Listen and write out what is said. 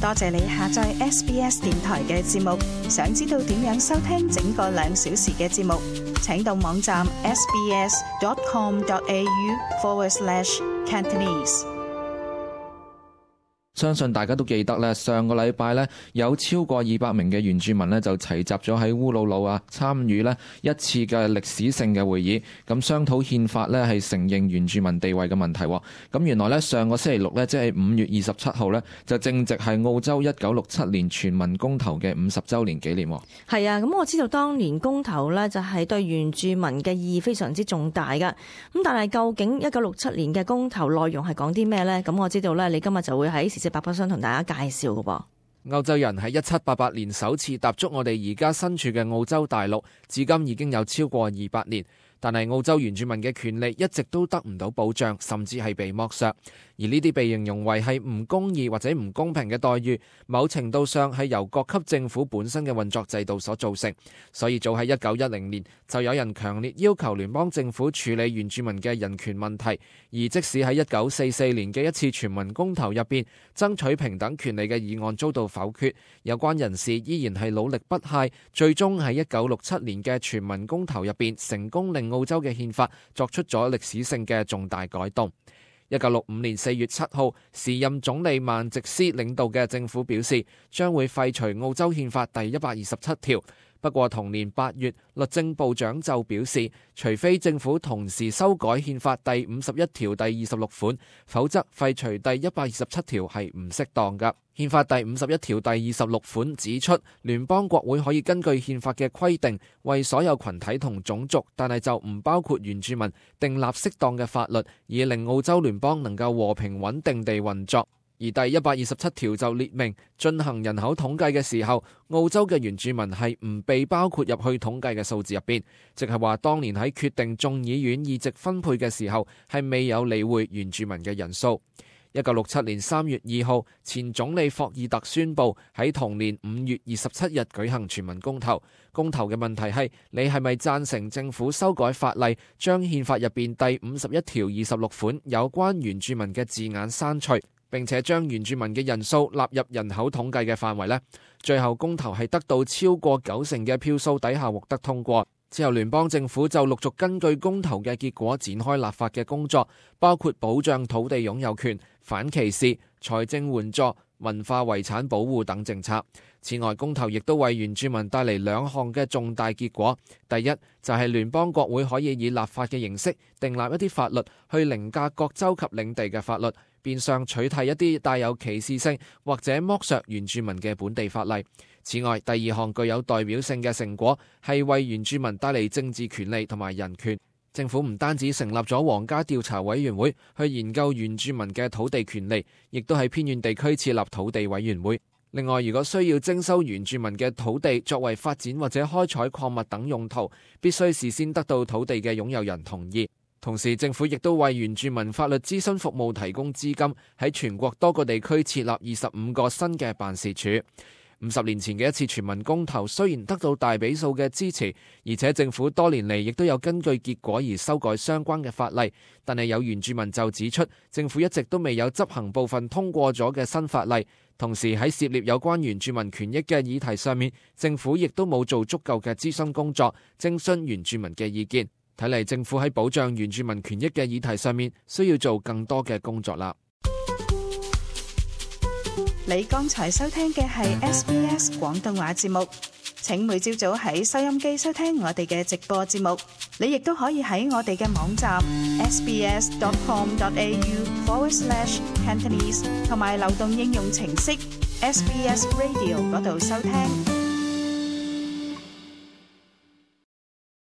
多謝你下載 SBS 電台嘅節目。想知道點樣收聽整個2小時嘅節目，請到網站 sbs.com.au/Cantonese。相信大家都記得咧，上個禮拜咧有超過200名嘅原住民咧就齊集咗喺烏魯魯參與咧一次嘅歷史性嘅會議，咁商討憲法咧係承認原住民地位嘅問題。咁原來咧上個星期六咧，即係5月27號咧，就正值係澳洲1967年全民公投嘅50週年紀念。係啊，咁我知道當年公投咧就係對原住民嘅意義非常之重大噶。咁但係究竟1967年嘅公投內容係講啲咩呢？咁我知道咧，你今日就會喺時事百科想同大家介紹噶噃。歐洲人喺1788年首次踏足我哋而家身處嘅澳洲大陸，至今已經有超過200年。但係澳洲原住民嘅權利一直都得唔到保障，甚至係被剝削。而呢啲被形容為係唔公義或者唔公平嘅待遇，某程度上係由各級政府本身嘅運作制度所造成。所以早喺1910年就有人強烈要求聯邦政府處理原住民嘅人權問題。而即使喺1944年嘅一次全民公投入邊，爭取平等權利嘅議案遭到否決，有關人士依然係努力不懈，最終喺1967年嘅全民公投入邊成功令澳洲嘅憲法作出咗歷史性嘅重大改動。1965年4月7號，時任總理曼直斯領導嘅政府表示，將會廢除澳洲憲法第127條。不過同年8月，律政部長就表示，除非政府同時修改憲法第51條第26款，否則廢除第127條係唔適當㗎。憲法第51條第26款指出，聯邦國會可以根據憲法嘅規定，為所有群體同種族，但係就唔包括原住民，訂立適當嘅法律，以令澳洲聯邦能夠和平穩定地運作。而第127條就列明，進行人口統計嘅時候，澳洲嘅原住民係唔被包括入去統計嘅數字入邊，即係話當年喺決定眾議院議席分配嘅時候，係未有理會原住民嘅人數。1967年3月2號，前總理霍爾特宣布喺同年5月27日舉行全民公投。公投嘅問題係，你係咪贊成政府修改法例，將憲法入邊第51條26款有關原住民嘅字眼刪除，並且將原住民嘅人數納入人口統計嘅範圍呢？最後公投係得到超過90%嘅票數底下獲得通過。之後聯邦政府就陸續根據公投嘅結果展開立法嘅工作，包括保障土地擁有權、反歧視、財政援助、文化遺產保護等政策。此外，公投亦都為原住民帶嚟2項嘅重大結果。第一就係聯邦國會可以以立法嘅形式訂立一啲法律，去凌駕各州及領地嘅法律，變相取締一啲帶有歧視性或者剝削原住民嘅本地法例。此外，第2項具有代表性嘅成果係為原住民帶嚟政治權利同埋人權。政府唔單止成立咗皇家調查委員會去研究原住民嘅土地權利，亦都喺偏遠地區設立土地委員會。另外，如果需要徵收原住民嘅土地作為發展或者開採礦物等用途，必須事先得到土地嘅擁有人同意。同時，政府亦都為原住民法律諮詢服務提供資金，喺全國多個地區設立25個新嘅辦事處。50年前嘅一次全民公投雖然得到大比數嘅支持，而且政府多年嚟亦都有根據結果而修改相關嘅法例，但係有原住民就指出，政府一直都未有執行部分通過咗嘅新法例。同時喺涉獵有關原住民權益嘅議題上面，政府亦都冇做足夠嘅諮詢工作，徵詢原住民嘅意見。睇嚟政府喺保障原住民權益嘅議題上面，需要做更多嘅工作啦。你剛才收聽嘅係 SBS 廣東話節目，請每朝早喺收音機收聽我哋嘅直播節目。你亦都可以喺我哋嘅網站 sbs.com.au/Cantonese 同埋流動應用程式 SBS Radio 嗰度收聽。